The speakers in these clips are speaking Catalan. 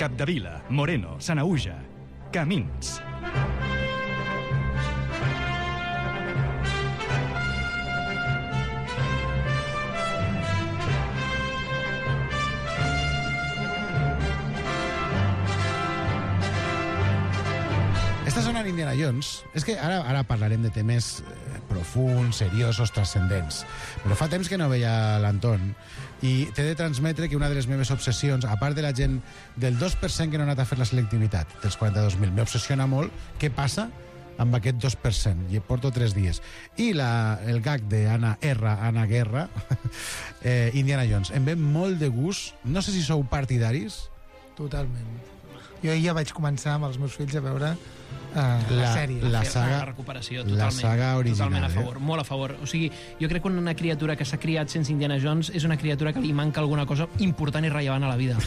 Capdevila, Moreno, Sanaüja, Camins. Està sonant Indiana Jones. És que ara parlarem de temes profuns, seriosos, transcendents. Però fa temps que no veia l'Anton i t'he de transmetre que una de les meves obsessions, a part de la gent del 2% que no ha anat a fer la selectivitat, dels 42.000, m'obsessiona molt què passa amb aquest 2%, i porto 3 dies. I el gag d'Anna Guerra, Indiana Jones, em ve molt de gust. No sé si sou partidaris. Totalment. Jo ja vaig començar amb els meus fills a veure la sèrie. La saga, la recuperació, totalment. La saga original. Totalment a favor, molt a favor. O sigui, jo crec que una criatura que s'ha criat sense Indiana Jones és una criatura que li manca alguna cosa important i rellevant a la vida.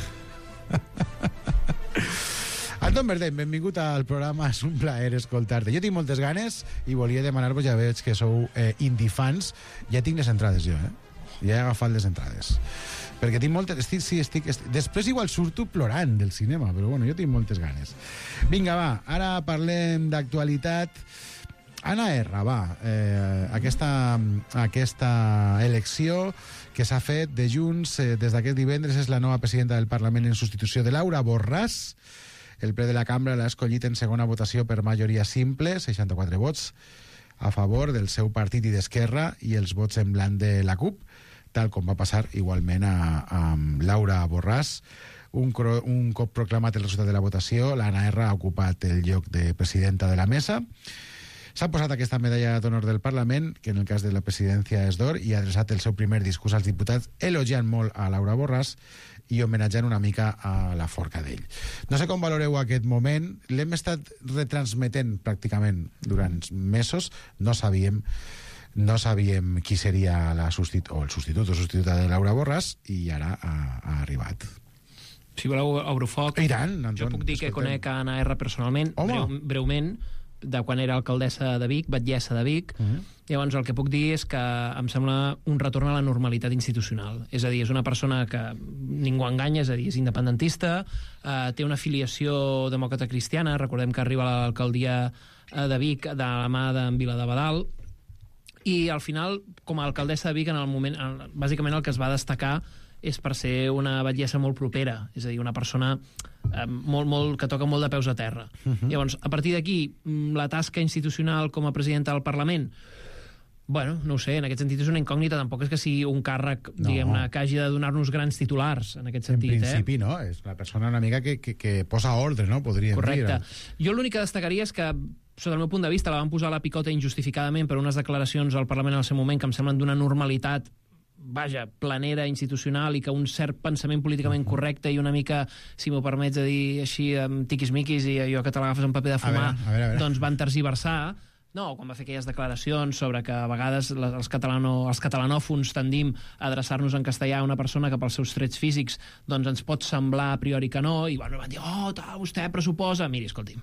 Anton Verdeny, benvingut al programa, és un plaer escoltar-te. Jo tinc moltes ganes i volia demanar-vos, ja veig que sou indie-fans, ja tinc les entrades jo, ja he agafat les entrades. Perquè tinc moltes... Estic. Després igual surto plorant del cinema, però bueno, jo tinc moltes ganes. Vinga, va, ara parlem d'actualitat. Anna R, va, aquesta elecció que s'ha fet de Junts des d'aquest divendres és la nova presidenta del Parlament en substitució de Laura Borràs. El ple de la cambra l'ha escollit en segona votació per majoria simple, 64 vots a favor del seu partit i d'Esquerra i els vots en blanc de la CUP, tal com va passar igualment amb Laura Borràs. Un cop proclamat el resultat de la votació, l'Anna R ha ocupat el lloc de presidenta de la mesa. S'ha posat aquesta medalla d'honor del Parlament, que en el cas de la presidència és d'or, i ha adreçat el seu primer discurs als diputats elogiant molt a Laura Borràs i homenatjant una mica a la Forcadell. No sé com valoreu aquest moment. L'hem estat retransmetent pràcticament durant mesos. No sabíem qui seria el substitut o substituta de Laura Borràs i ara ha arribat. Si voleu obro foc, I tant, Anton, jo puc dir que conec a Anna R personalment, breument, de quan era alcaldessa de Vic, batllessa de Vic. Llavors el que puc dir és que em sembla un retorn a la normalitat institucional. És a dir, és una persona que ningú enganya, és a dir, és independentista, té una afiliació demòcrata cristiana, recordem que arriba a l'alcaldia de Vic de la mà d'en Viladebadal, i al final, com a alcaldessa de Vic, en el moment, bàsicament el que es va destacar és per ser una batllessa molt propera, és a dir, una persona que toca molt de peus a terra. Llavors, a partir d'aquí, la tasca institucional com a presidenta del Parlament, bueno, no ho sé, en aquest sentit és una incògnita, tampoc és que sigui un càrrec, diguem-ne, que hagi de donar-nos grans titulars, en aquest sentit. En principi, no, és una persona una mica que posa ordre, no? Podríem dir. Correcte. Jo l'únic que destacaria és que, sota el meu punt de vista, la van posar a la picota injustificadament per unes declaracions al Parlament en el seu moment que em semblen d'una normalitat planera, institucional, i que un cert pensament políticament correcte i una mica, si m'ho permets de dir així, amb tiquis-miquis i allò que te l'agafes en paper de fumar, a veure. doncs van tergiversar. No, quan va fer aquelles declaracions sobre que a vegades els catalanòfons tendim a adreçar-nos en castellà a una persona que pels seus trets físics doncs ens pot semblar a priori que no, i bueno, van dir, vostè pressuposa... Miri, escolti'm,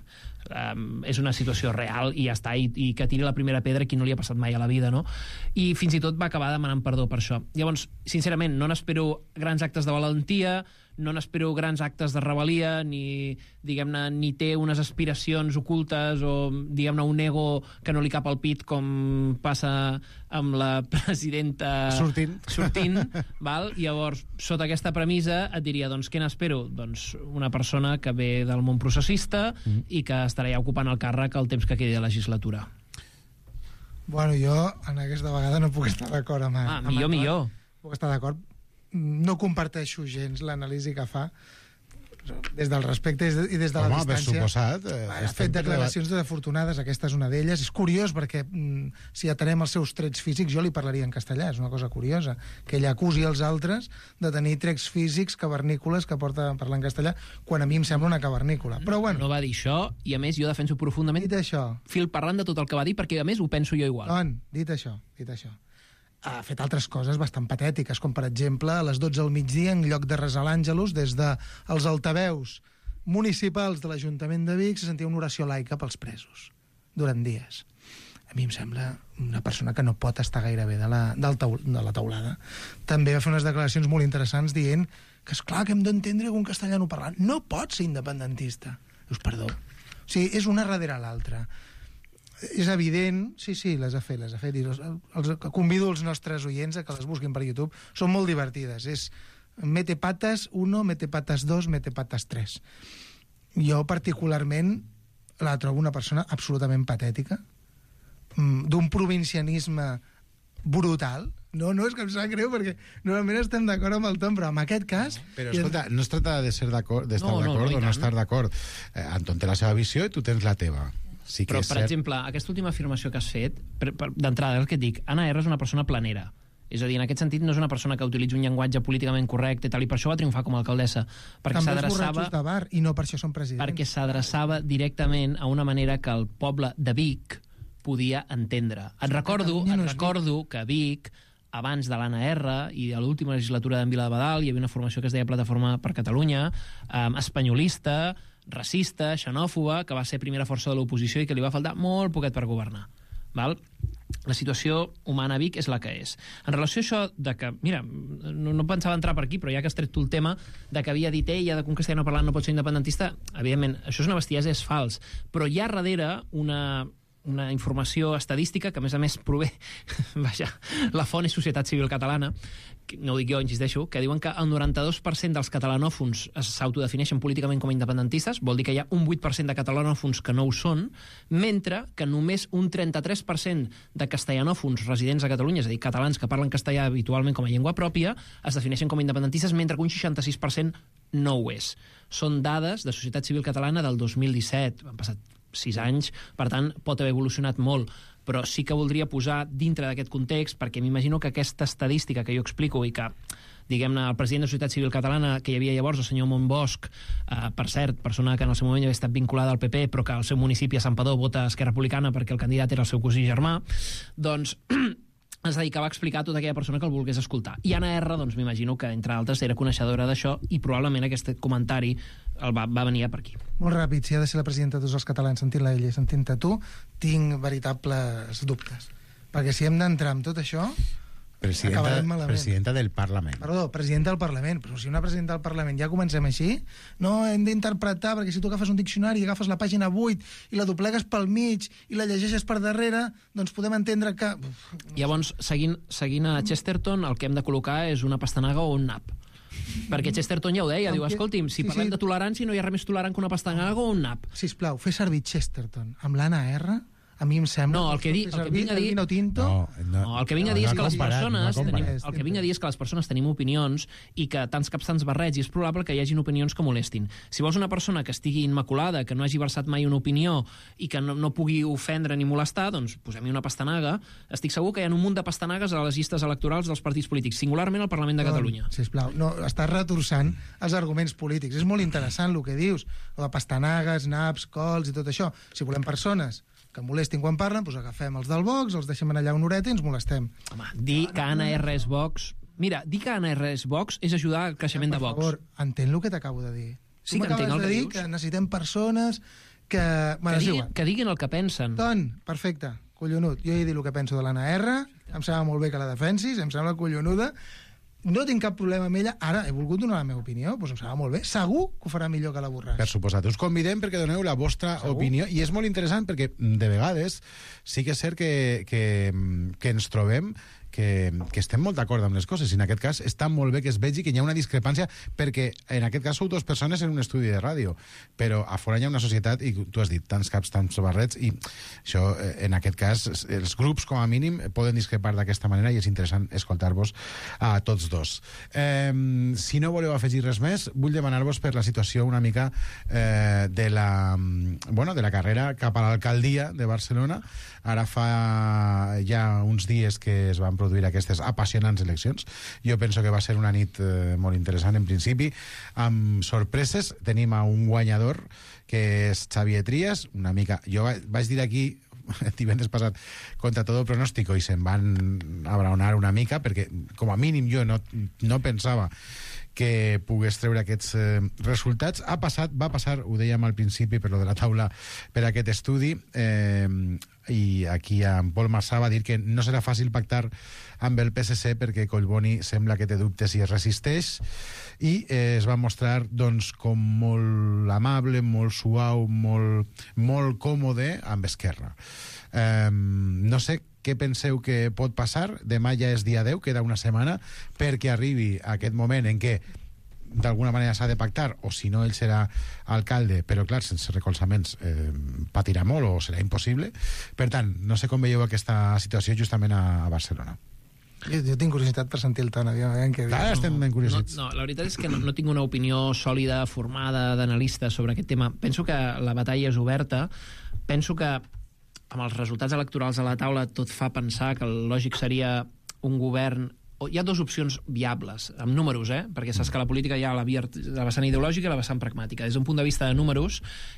és una situació real i ja està, i que tiri la primera pedra qui no li ha passat mai a la vida, no? I fins i tot va acabar demanant perdó per això. Llavors, sincerament, no n'espero grans actes de valentia, no n'espero grans actes de rebel·lia, ni, diguem-ne, ni té unes aspiracions ocultes o, diguem-ne, un ego que no li cap al pit, com passa amb la presidenta sortint, val? Llavors, sota aquesta premissa et diria, doncs, què n'espero? Doncs una persona que ve del món processista i que estarà ja ocupant el càrrec el temps que quedi de legislatura. Bueno, jo en aquesta vegada no puc estar d'acord amb millor. Puc estar d'acord. No comparteixo gens l'anàlisi que fa des del respecte i des de la distància. Ha fet declaracions desafortunades, aquesta és una d'elles. És curiós perquè si atenem els seus trets físics, jo li parlaria en castellà, és una cosa curiosa, que ella acusi els altres de tenir trets físics cavernícoles que porta a parlar en castellà, quan a mi em sembla una cavernícola. Però bueno. No va dir això, i a més jo defenso profundament fil parlant de tot el que va dir, perquè a més ho penso jo igual. Dit això, ha fet altres coses bastant patètiques, com per exemple a les 12 del migdia, en lloc de resar l'Àngelus, des dels altaveus municipals de l'Ajuntament de Vic se sentia una oració laica pels presos durant dies. a mi em sembla una persona que no pot estar gaire bé de la taulada. També va fer unes declaracions molt interessants dient que és clar que hem d'entendre que un castellano parlant no pot ser independentista. Dius, perdó. O sigui, és una darrere l'altra. És evident, sí, les ha fet. Convido els nostres oients a que les busquin per YouTube. Són molt divertides. És Mete Patas 1, Mete Patas 2, Mete Patas 3. Jo particularment la trobo una persona absolutament patètica, d'un provincianisme brutal. No és que em sap greu, perquè normalment estem d'acord amb el Tom, però en aquest cas... Però escolta, no es tracta d'estar d'acord o no estar d'acord. Anton té la seva visió i tu tens la teva. Sí que però, per exemple, aquesta última afirmació que has fet, d'entrada, el que et dic, Anna R és una persona planera. És a dir, en aquest sentit no és una persona que utilitzi un llenguatge políticament correcte i tal, i per això va triomfar com a alcaldessa. Perquè també els borratxos de bar, i no per això són presidents. Perquè s'adreçava directament a una manera que el poble de Vic podia entendre. Et recordo que a Vic, abans de l'Anna R i a l'última legislatura d'en Viladebadal, hi havia una formació que es deia Plataforma per Catalunya, espanyolista, racista, xenòfoba, que va ser primera força de l'oposició i que li va faltar molt poquet per governar. Val? La situació humana a Vic és la que és. En relació a això de que, mira, no pensava entrar per aquí, però ja que has tret tu el tema de que havia dit ella de que un castellano parlant no pot ser independentista, evidentment, això és una bestiesa, és fals. Però hi ha darrere una informació estadística que, a més prové, vaja, la font és Societat Civil Catalana, no ho dic jo, insisteixo, que diuen que el 92% dels catalanòfons s'autodefineixen políticament com a independentistes, vol dir que hi ha un 8% de catalanòfons que no ho són, mentre que només un 33% de castellanòfons residents a Catalunya, és a dir, catalans que parlen castellà habitualment com a llengua pròpia, es defineixen com a independentistes, mentre que un 66% no ho és. Són dades de Societat Civil Catalana del 2017, han passat 6 anys, per tant, pot haver evolucionat molt, però sí que voldria posar dintre d'aquest context, perquè m'imagino que aquesta estadística que jo explico i que, diguem-ne, el president de la Societat Civil Catalana, que hi havia llavors, el senyor Montbosch, per cert, persona que en el seu moment havia estat vinculada al PP, però que al seu municipi a Santpedor vota Esquerra Republicana perquè el candidat era el seu cosí germà, doncs es dedicava a explicar a tota aquella persona que el volgués escoltar. I Anna R, doncs m'imagino que, entre altres, era coneixedora d'això i probablement aquest comentari va venir per aquí. Molt ràpid, si ha de ser la presidenta de tots els catalans, sentint-la ella i sentint-te tu, tinc veritables dubtes. Perquè si hem d'entrar amb tot això, acabarem malament. Presidenta del Parlament. Perdó, presidenta del Parlament. Però si una presidenta del Parlament ja comencem així, no hem d'interpretar, perquè si tu agafes un diccionari i agafes la pàgina 8 i la doblegues pel mig i la llegeixes per darrere, doncs podem entendre que... Llavors, seguint a Chesterton, el que hem de col·locar és una pastanaga o un nap. Perquè Chesterton ja ho deia, diu, escolti'm, si parlem de tolerància no hi ha res més tolerant que una pastanaga o un nap. Sisplau, fer servir Chesterton amb l'Anna R, a mi em sembla... No, el que vinc a dir... el que vinc a dir és que les persones... El que vinc a dir és que les persones tenim opinions i que tants caps tants barrets, i és probable que hi hagin opinions que molestin. Si vols una persona que estigui immaculada, que no hagi versat mai una opinió i que no pugui ofendre ni molestar, doncs posem-hi una pastanaga. Estic segur que hi ha un munt de pastanagues a les llistes electorals dels partits polítics, singularment al Parlament de Catalunya. Sisplau, no, estàs retorçant els arguments polítics. És molt interessant el que dius, de pastanagues, naps, cols i tot això. Si volem persones que molestin quan parlen, doncs agafem els del Vox, els deixem allà una horeta i ens molestem. Home, dir que Anna R és Vox... Mira, dir que Anna R és Vox és ajudar al creixement de Vox. Per favor, entén el que t'acabo de dir. Sí que entenc el que dius. Que necessitem persones que... Que diguin el que pensen. Ton, perfecte, collonut. Jo he dit el que penso de l'Anna R, em sembla molt bé que la defensis, em sembla collonuda, no tinc cap problema amb ella, ara he volgut donar la meva opinió, doncs em sembla molt bé, segur que ho farà millor que la Borràs. Per suposat, us convidem perquè doneu la vostra opinió, i és molt interessant perquè de vegades sí que és cert que ens trobem que estem molt d'acord amb les coses, i en aquest cas està molt bé que es vegi que hi ha una discrepància, perquè en aquest cas sou dues persones en un estudi de ràdio, però a fora hi ha una societat, i tu has dit tants caps, tants barrets, i això, en aquest cas, els grups com a mínim poden discrepar d'aquesta manera, i és interessant escoltar-vos a tots dos. Si no voleu afegir res més, vull demanar-vos per la situació una mica de la carrera cap a l'alcaldia de Barcelona. Ara fa ja uns dies que es van produir aquestes apassionants eleccions. Jo penso que va ser una nit molt interessant en principi, amb sorpreses. Tenim a un guanyador que és Xavier Trias, una mica... Jo vaig dir aquí divendres passat contra todo pronóstico i se'n van abraonar una mica perquè com a mínim jo no pensava que pogués treure aquests resultats. Va passar, ho dèiem al principi, per lo de la taula, per aquest estudi, i aquí en Pol Marsà va dir que no serà fàcil pactar amb el PSC perquè Collboni sembla que té dubtes i es resisteix, i es va mostrar doncs, com molt amable, molt suau, molt còmode amb Esquerra. No sé què penseu que pot passar. Demà ja és dia 10, queda una setmana perquè arribi aquest moment en què d'alguna manera s'ha de pactar, o si no ell serà alcalde, però clar, sense recolzaments patirà molt o serà impossible. Per tant, no sé com veieu aquesta situació justament a Barcelona. Jo tinc curiositat per sentir el ton. Clar, estem ben curiosits. No, la veritat és que no tinc una opinió sòlida, formada, d'analista sobre aquest tema. Penso que la batalla és oberta. Penso que amb els resultats electorals a la taula tot fa pensar que el lògic seria un govern... Hi ha dues opcions viables, amb números, perquè saps que la política hi ha la vessant ideològica i la vessant pragmàtica. Des d'un punt de vista de números,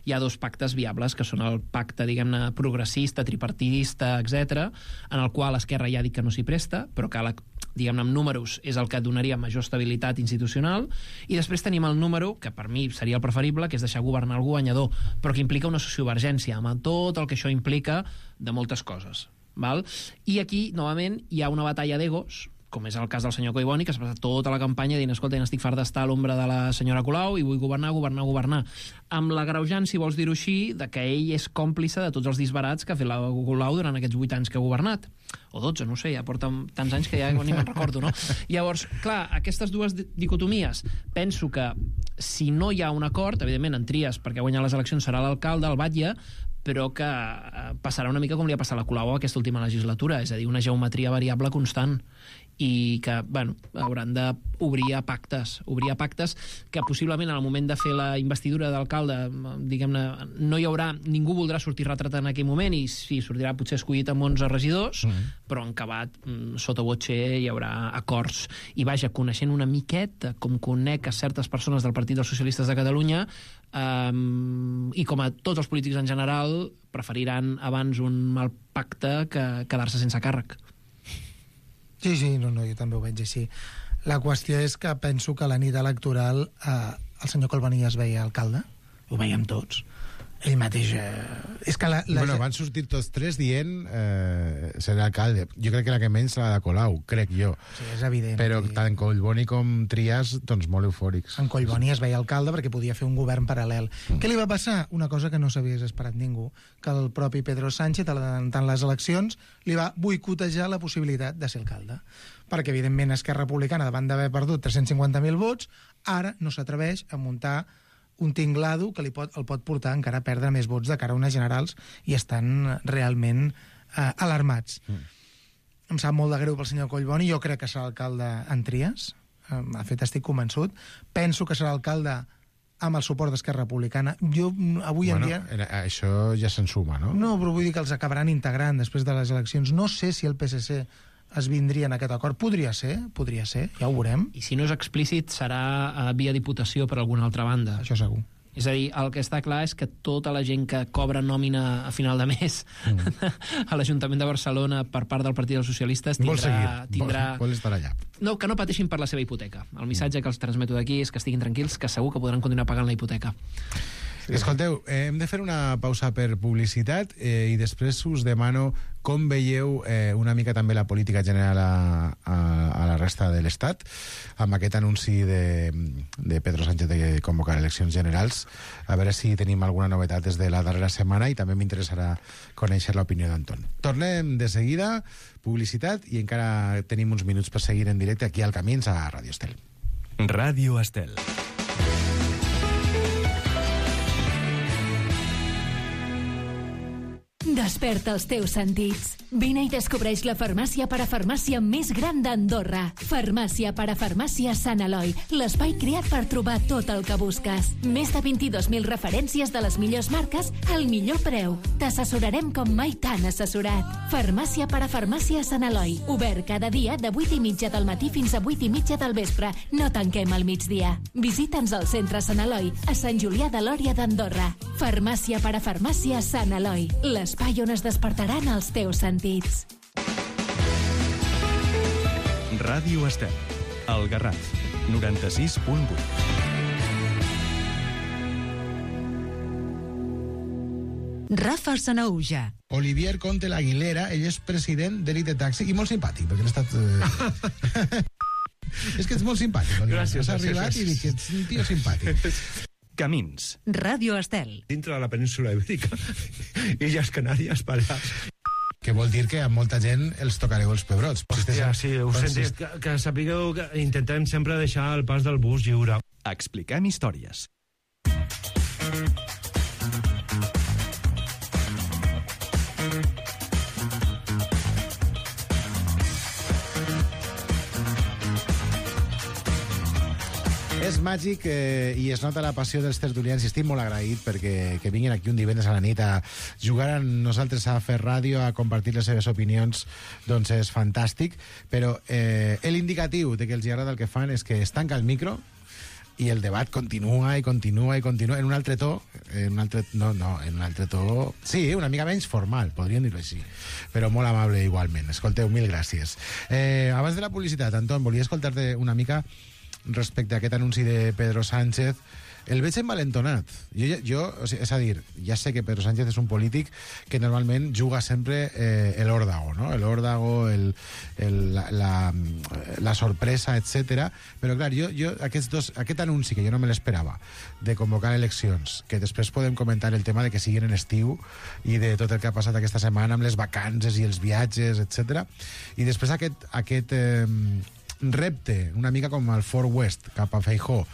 hi ha dos pactes viables, que són el pacte, diguem-ne, progressista, tripartidista, etc., en el qual Esquerra ja ha dit que no s'hi presta, però que, diguem-ne, amb números és el que donaria major estabilitat institucional, i després tenim el número, que per mi seria el preferible, que és deixar governar el guanyador, però que implica una sociovergència, amb tot el que això implica de moltes coses. Val? I aquí, novament, hi ha una batalla d'egos, com és el cas del senyor Collboni, que s'ha passat tota la campanya dient, escolta, n'estic fart d'estar a l'ombra de la senyora Colau i vull governar, amb l'agreujant, si vols dir-ho així, de que ell és còmplice de tots els disbarats que ha fet la Colau durant aquests 8 anys que ha governat. O 12, no sé, ja porta tants anys que ja ni me'n recordo, no? Llavors, clar, aquestes dues dicotomies, penso que si no hi ha un acord, evidentment en Trias, perquè ha guanyat les eleccions serà l'alcalde, el Batlle, però que passarà una mica com li ha passat a la Colau aquesta última legislatura, és a dir, una geometria variable constant, i que, bueno, hauran d'obrir a pactes que possiblement en el moment de fer la investidura d'alcalde, diguem-ne, no hi haurà, ningú voldrà sortir retratat en aquell moment, i sí, sortirà potser escollit amb 11 regidors, però en acabat, sota voce, hi haurà acords. I vaja, coneixent una miqueta com conec a certes persones del Partit dels Socialistes de Catalunya, i com a tots els polítics en general, preferiran abans un mal pacte que quedar-se sense càrrec. Sí, no, jo també ho veig així. La qüestió és que penso que la nit electoral el senyor Collboni es veia alcalde, ho veiem tots. Ell mateix... És que Bueno, van sortir tots tres dient serà alcalde. Jo crec que la que menys serà la de Colau, crec jo. Sí, és evident. Però tant Collboni com Trias, doncs molt eufòrics. En Collboni es veia alcalde perquè podia fer un govern paral·lel. Què li va passar? Una cosa que no s'hagués esperat ningú, que el propi Pedro Sánchez, adelantant les eleccions, li va boicotejar la possibilitat de ser alcalde. Perquè, evidentment, Esquerra Republicana, davant d'haver perdut 350.000 vots, ara no s'atreveix a muntar un tinglado que el pot portar encara a perdre més vots de cara a unes generals, i estan realment alarmats. Em sap molt de greu pel senyor Collboni. Jo crec que serà alcalde en Trias. De fet, estic convençut. Penso que serà alcalde amb el suport d'Esquerra Republicana. Jo, avui en dia... Això ja se'n suma, no? No, però vull dir que els acabaran integrant després de les eleccions. No sé si el PSC es vindria en aquest acord. Podria ser, ja ho veurem. I si no és explícit, serà via diputació per alguna altra banda. Això segur. És a dir, el que està clar és que tota la gent que cobra nòmina a final de mes a l'Ajuntament de Barcelona per part del Partit dels Socialistes tindrà... Vol estar allà. No, que no pateixin per la seva hipoteca. El missatge que els transmeto d'aquí és que estiguin tranquils, que segur que podran continuar pagant la hipoteca. Escolteu, hem de fer una pausa per publicitat i després us demano com veieu una mica també la política general a la resta de l'Estat amb aquest anunci de Pedro Sánchez de convocar eleccions generals, a veure si tenim alguna novetat des de la darrera setmana, i també m'interessarà conèixer l'opinió d'Anton. Tornem de seguida, publicitat, i encara tenim uns minuts per seguir en directe aquí al Camins a Ràdio Estel. Ràdio Estel. Desperta els teus sentits. Vine i descobreix la farmàcia parafarmàcia més gran d'Andorra. Farmàcia parafarmàcia Sant Eloi, l'espai creat per trobar tot el que busques. Més de 22.000 referències de les millors marques al millor preu. T'assessorarem com mai t'han assessorat. Farmàcia parafarmàcia Sant Eloi. Obert cada dia de 8:30 del matí fins a 8:30 del vespre. No tanquem al migdia. Visita'ns al centre Sant Eloi, a Sant Julià de Lòria d'Andorra. Farmàcia parafarmàcia Sant Eloi, l'espai on es despertaran els teus sentits. Ràdio Estel, el Garraf. 96.8. Rafa Sanaúja. Olivier Conte l'Aguilera, ell és president d'Elite Taxi, i molt simpàtic, perquè l'he estat... És que ets molt simpàtic, Olivier. Gràcies. Has arribat i dic que ets un tio simpàtic. Camins. Ràdio Estel. Dintre de la península ibèrica, Illes Canàries, Balears. Que vol dir que a molta gent els tocareu els pebrots. Hòstia, sí, ho sentit. Que sapigueu que intentem sempre deixar el pas del bus lliure. Expliquem històries. És màgic i es nota la passió dels tertulians i estic molt agraït perquè que vinguin aquí un divendres a la nit a jugar amb nosaltres a fer ràdio, a compartir les seves opinions, doncs és fantàstic, però l'indicatiu de que els agrada el que fan és que es tanca el micro i el debat continua i continua i continua en un altre to, en un altre to, sí, una mica menys formal, podríem dir-ho així, però molt amable igualment. Escolteu, mil gràcies. Abans de la publicitat, Anton, volia escoltar-te una mica respecte a aquest anunci de Pedro Sánchez. El veig envalentonat. O sigui, és a dir, ja sé que Pedro Sánchez és un polític que normalment juga sempre l'òrdago, no? L'òrdago, la sorpresa, etc. Però, clar, aquest anunci, que jo no me l'esperava, de convocar eleccions, que després podem comentar el tema de que siguin en estiu i de tot el que ha passat aquesta setmana amb les vacances i els viatges, etc. I després aquest repte, una mica com el Fort West, cap a Feijóo.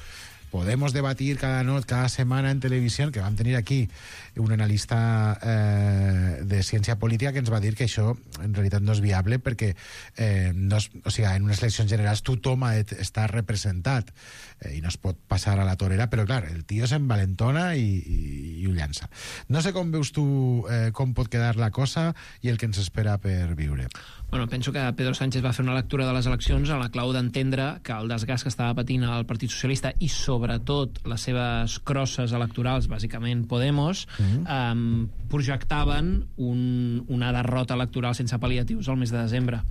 Podemos debatir cada semana en televisión, que vam tenir aquí un analista de ciència política que ens va dir que això en realitat no és viable perquè en unes eleccions generals tothom està representat i no es pot passar a la torera, però clar, el tio s'envalentona i ho llança. No sé com veus tu com pot quedar la cosa i el que ens espera per viure. Bueno, penso que Pedro Sánchez va fer una lectura de les eleccions a la clau d'entendre que el desgast que estava patint el Partit Socialista i sobretot les seves crosses electorals, bàsicament Podemos, projectaven una derrota electoral sense pal·liatius al mes de desembre.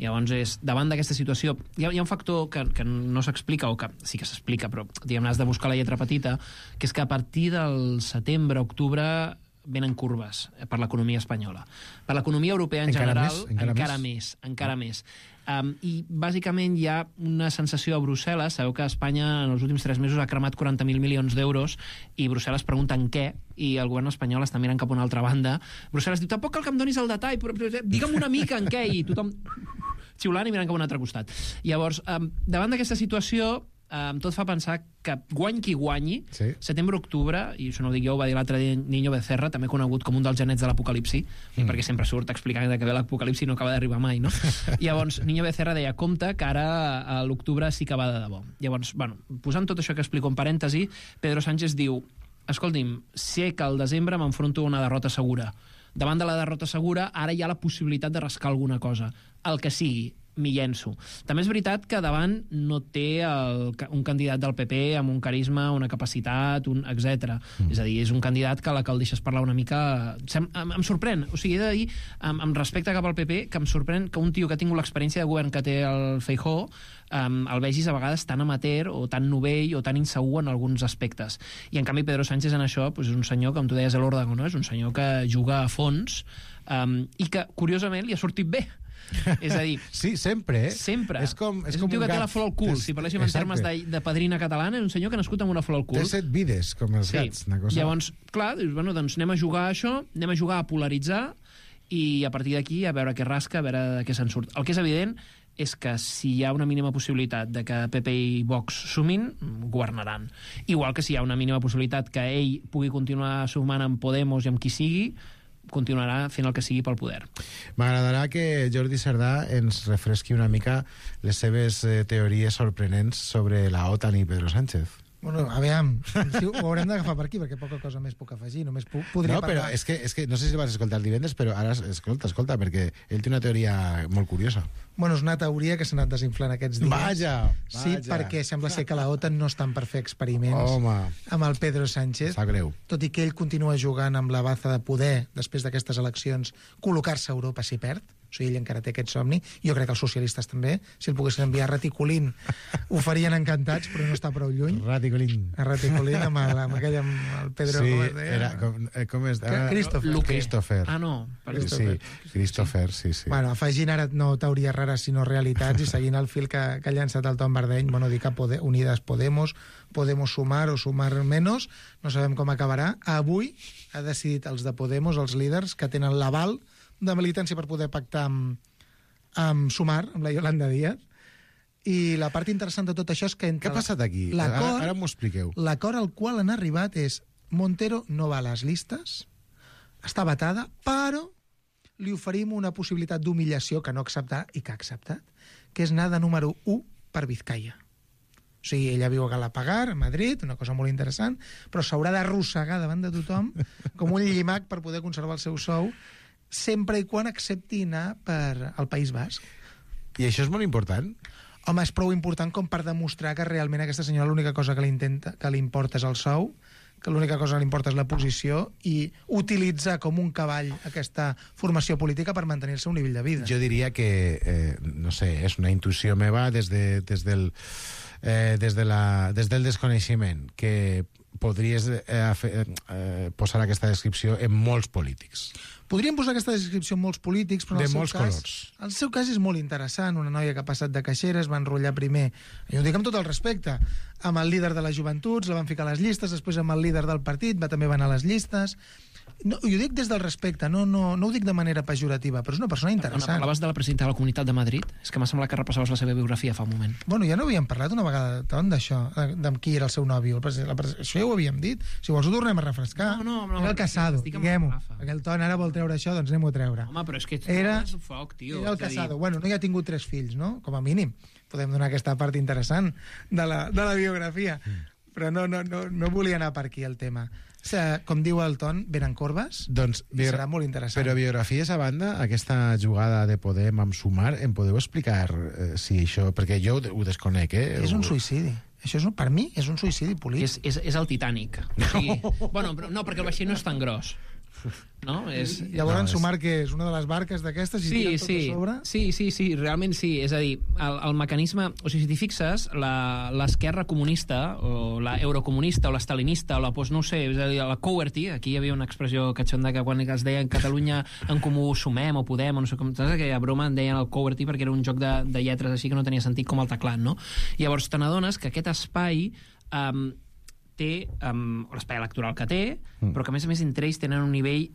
Llavors, davant d'aquesta situació, hi ha un factor que no s'explica, o que sí que s'explica, però diguem-ne, has de buscar la lletra petita, que és que a partir del setembre, octubre, venen curves per l'economia espanyola. Per l'economia europea en general, encara més. I bàsicament hi ha una sensació a Brussel·les. Sabeu que Espanya en els últims 3 mesos ha cremat 40.000 milions d'euros i Brussel·les pregunta en què, i el govern espanyol està mirant cap a una altra banda. Brussel·les diu, tampoc cal que em donis el detall, però digue'm una mica en què, i tothom xiulant i mirant cap a un altre costat. Llavors, davant d'aquesta situació, tot fa pensar que guany qui guanyi, sí. Setembre-octubre, i això no ho dic jo, ho va dir l'altre dia Niño Becerra, també conegut com un dels genets de l'apocalipsi, perquè sempre surt explicant que ve l'apocalipsi i no acaba d'arribar mai, no? Llavors, Niño Becerra deia, compte que ara a l'octubre sí que va de debò. Llavors, bueno, posant tot això que explico en parèntesi, Pedro Sánchez diu, escolti'm, sé que al desembre m'enfronto a una derrota segura. Davant de la derrota segura, ara hi ha la possibilitat de rascar alguna cosa. El que sigui, m'hi llenço. També és veritat que davant no té un candidat del PP amb un carisma, una capacitat, etc. És a dir, és un candidat que a la que el deixes parlar una mica... Em sorprèn. O sigui, he de dir, amb respecte cap al PP, que em sorprèn que un tio que ha tingut l'experiència de govern que té el Feijóo el vegis a vegades tan amateur o tan novell o tan insegur en alguns aspectes. I en canvi Pedro Sánchez en això és un senyor, com tu deies a l'Òrdago, no? És un senyor que juga a fons i que, curiosament, li ha sortit bé. És a dir... Sí, sempre, Sempre. És un tio que té la flor al cul. Si parléssim en termes de padrina catalana, és un senyor que ha nascut amb una flor al cul. Té 7 vides, com els gats. Una cosa... Llavors, clar, dius, bueno, doncs anem a jugar a això, anem a jugar a polaritzar i a partir d'aquí a veure què rasca, a veure de què se'n surt. El que és evident és que si hi ha una mínima possibilitat de que PP i Vox sumin, governaran. Igual que si hi ha una mínima possibilitat que ell pugui continuar sumant amb Podemos i amb qui sigui, continuarà fent el que sigui pel poder. M'agradarà que Jordi Cerdà ens refresqui una mica les seves teories sorprenents sobre la OTAN i Pedro Sánchez. Bueno, aviam, ho haurem d'agafar per aquí, perquè poca cosa més puc afegir, només podria parlar... No, però és que no sé si el vas escoltar divendres, però ara escolta, perquè ell té una teoria molt curiosa. Bueno, és una teoria que s'ha anat desinflant aquests dies. Vaja! Sí, perquè sembla ser que la OTAN no estan per fer experiments amb el Pedro Sánchez. Sap greu. Tot i que ell continua jugant amb la baza de poder, després d'aquestes eleccions, col·locar-se a Europa si perd. O sigui, ell encara té aquest somni. Jo crec que els socialistes també, si el poguessin enviar a Raticulín, ho farien encantats, però no està prou lluny. Raticulín. A Raticulín, amb aquell, amb el Pedro... Sí, com es deia? com és? Christopher. Ah, no. Sí, Christopher, sí. Bueno, afegint ara no teories rares, sinó realitats, i seguint el fil que ha llançat el Tom Bardeny, bueno, dir que Unidas Podemos sumar o sumar menos, no sabem com acabarà. Avui ha decidit els de Podemos, els líders, que tenen l'aval de militància per poder pactar amb Sumar, amb la Yolanda Díaz, i la part interessant de tot això és que... Què ha passat aquí? Ara m'ho expliqueu. L'acord al qual han arribat és Montero no va a les llistes, està vetada, però li oferim una possibilitat d'humillació que no acceptar i que ha acceptat, que és anar de número 1 per Vizcaya. O sigui, ella viu a Galapagar, a Madrid, una cosa molt interessant, però s'haurà d'arrossegar davant de tothom com un llimac per poder conservar el seu sou, sempre i quan accepti anar per al País Basc. I això és molt important? Home, és prou important com per demostrar que realment aquesta senyora l'única cosa que li importa és el sou, que l'única cosa que li importa és la posició, i utilitzar com un cavall aquesta formació política per mantenir-se a un nivell de vida. Jo diria que, no sé, és una intuïció meva des del desconeixement, que podries posar aquesta descripció en molts polítics. Podríem posar aquesta descripció en molts polítics, però de molts colors. El seu cas és molt interessant. Una noia que ha passat de caixera, es va enrotllar primer, i ho dic amb tot el respecte, amb el líder de les joventuts, la van ficar a les llistes, després amb el líder del partit, també va anar a les llistes. No, ho dic des del respecte, no ho dic de manera pejorativa, però és una persona interessant. Parlaves de la presidenta de la Comunitat de Madrid? És que m'ha semblat que repassaves la seva biografia fa un moment. Bueno, ja no havíem parlat una vegada d'això, de qui era el seu nòvio. Això ja ho havíem dit. Si vols ho tornem a refrescar. No, era el Casado, diguem-ho. Aquell ton ara vol treure això, doncs anem-ho a treure. Home, però és que era foc, tio. Era el Casado. Bueno, no hi ha tingut 3 fills, no? Com a mínim. Podem donar aquesta part interessant de la biografia. Però no volia anar per aquí el tema. O sigui, com diu el Ton, venen corbes, doncs, serà molt interessant. Però biografies a banda, aquesta jugada de Podem amb Sumar, em podeu explicar si això... Perquè jo ho desconec, És un suïcidi. Això per mi és un suïcidi polític. És el Titanic. O sigui, bueno, no, perquè el vaixell no és tan gros. No? Llavors Sumar, que és una de les barques d'aquestes, i tiren tot a sobre? Sí, realment sí. És a dir, el mecanisme... O sigui, si t'hi fixes, l'esquerra comunista, o l'eurocomunista, o l'estalinista, o la no sé, és a dir, la Cowerty, aquí hi havia una expressió catxonda que quan es deia en Catalunya en comú sumem o podem, o no sé com... Saps aquella broma en deien el Cowerty perquè era un joc de lletres així que no tenia sentit com el teclat, no? Llavors te n'adones que aquest espai... té l'espai electoral que té, però que a més entre ells tenen un nivell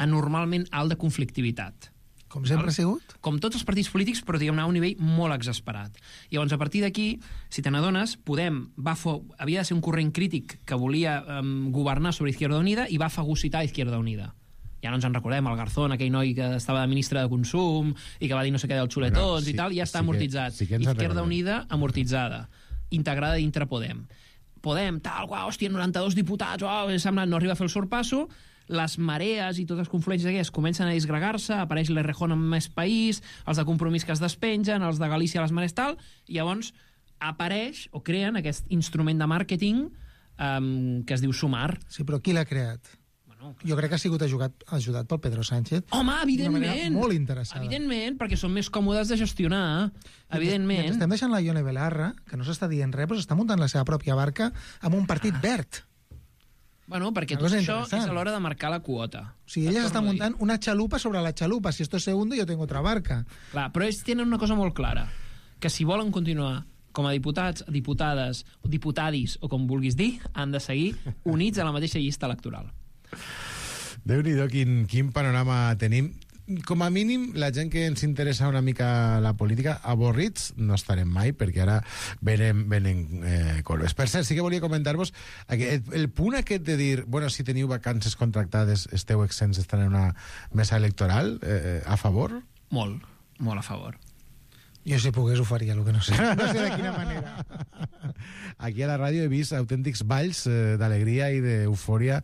anormalment alt de conflictivitat. Com sempre ha sigut? Com tots els partits polítics, però diguem-ne a un nivell molt exasperat. Llavors, a partir d'aquí, si te n'adones, Podem havia de ser un corrent crític que volia governar sobre Izquierda Unida i va fagocitar Izquierda Unida. Ja no ens en recordem, el Garzón, aquell noi que estava de ministre de Consum i que va dir no sé què dels xuletons i tal, ja està amortitzat. Izquierda Unida amortitzada, integrada dintre Podem. Podem, tal, hòstia, 92 diputats, sembla no arriba a fer el sorpasso, les marees i totes les confluències aquestes comencen a disgregar-se, apareix l'Errejón en més país, els de Compromís que es despengen, els de Galícia a les mares tal, i llavors apareix o creen aquest instrument de màrqueting que es diu Sumar. Sí, però qui l'ha creat? Jo crec que ha sigut ajudat pel Pedro Sánchez. Home, evidentment! Molt interessant. Evidentment, perquè són més còmodes de gestionar. Evidentment. Estem deixant la Ione Belarra, que no s'està dient res, però s'està muntant la seva pròpia barca amb un partit verd. Bueno, perquè tot això és a l'hora de marcar la quota. O sigui, ella s'està muntant una xalupa sobre la xalupa. Si esto es segundo, yo tengo otra barca. Clar, però ells tenen una cosa molt clara, que si volen continuar com a diputats, diputades, diputadis, o com vulguis dir, han de seguir units a la mateixa llista electoral. Déu-n'hi-do, quin panorama tenim. Com a mínim, la gent que ens interessa una mica la política, avorrits no estarem mai, perquè ara venen corbes. Per cert, sí que volia comentar-vos el punt aquest de dir, bueno, si teniu vacances contractades, esteu exents d'estar en una mesa electoral, a favor? Molt a favor. Jo, si pogués, ho faria, el que no sé. No sé de quina manera. Aquí a la ràdio he vist autèntics balls d'alegria i d'eufòria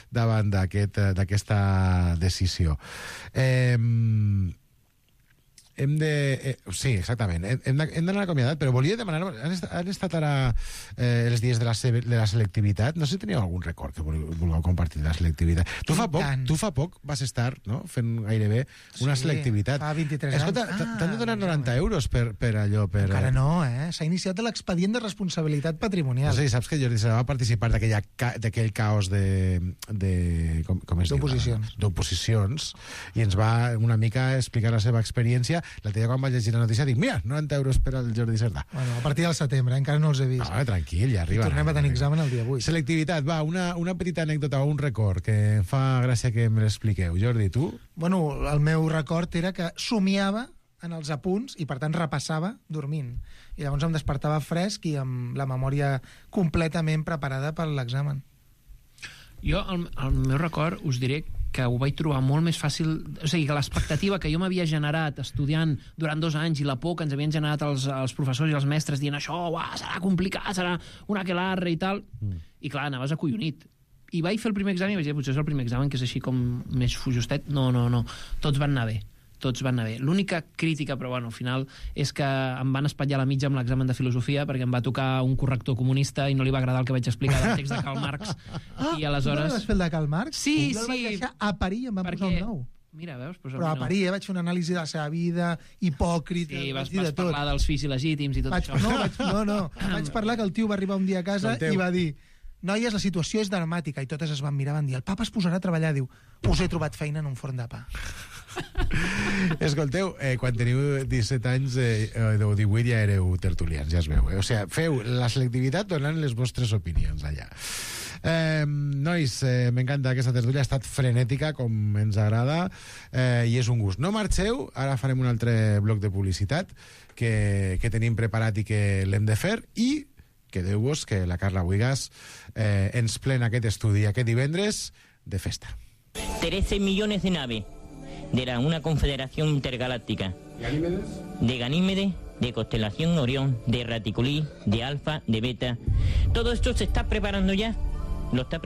davant d'aquesta decisió. Sí, exactament. Hem d'anar acomiadat, però volia demanar... Han estat ara els dies de la selectivitat? No sé si teníeu algun record que vulgueu compartir de la selectivitat. Tu fa poc vas estar, no?, fent gairebé una selectivitat. Fa 23 anys. Escolta, t'han de donar 90 euros per allò. Encara no, S'ha iniciat l'expedient de responsabilitat patrimonial. No sé, saps que Jordi Serra va participar d'aquell caos d'oposicions i ens va una mica explicar la seva experiència. L'altre dia quan vaig llegir la notícia dic, mira, 90 euros per al Jordi Cerdà. Bueno, a partir del setembre, encara no els he vist. No, tranquil, ja arriba. I tornem a tenir examen el dia 8. Selectivitat, va, una petita anècdota o un record que em fa gràcia que me l'expliqueu. Jordi, tu? Bueno, el meu record era que somiava en els apunts i, per tant, repassava dormint. I llavors em despertava fresc i amb la memòria completament preparada per l'examen. Jo, el meu record, us diré que ho vaig trobar molt més fàcil... O sigui, que l'expectativa que jo m'havia generat estudiant durant 2 anys i la por que ens havien generat els professors i els mestres dient això, serà complicat, serà una aquelarre i tal... I clar, anaves acollonit. I vaig fer el primer examen i vaig dir, potser és el primer examen que és així com més fujostet. No. Tots van anar bé. L'única crítica, però bueno, al final, és que em van espatllar la mitja amb l'examen de filosofia perquè em va tocar un corrector comunista i no li va agradar el que vaig explicar del text de Karl Marx. I aleshores... Tu no vas fer el de Karl Marx? Sí. Jo el vaig deixar a parir i em va posar un 9. Mira, veus? Però a parir, vaig fer una anàlisi de la seva vida, hipòcrita... Sí, vas parlar dels fills il·legítims i tot això. No. Vaig parlar que el tio va arribar un dia a casa i va dir: noies, la situació és dramàtica. I totes es van mirar, van dir: el papa es posarà a treballar. Diu: us he trobat feina en un forn de pa. Escolteu, quan teniu 17 anys o 18 ja éreu tertulians, ja es veu. O sigui, feu la selectivitat donant les vostres opinions allà. Nois, m'encanta aquesta tertúlia, ha estat frenètica com ens agrada i és un gust. No marxeu, ara farem un altre bloc de publicitat que tenim preparat i que l'hem de fer i quedeu-vos que la Carla Buigas ens plena aquest estudi aquest divendres de festa. 13 millones de naves de una confederación intergaláctica. ¿Ganímedes? De Ganímedes, de constelación Orión, de Raticulí, de Alfa, de Beta. Todo esto se está preparando ya. Lo está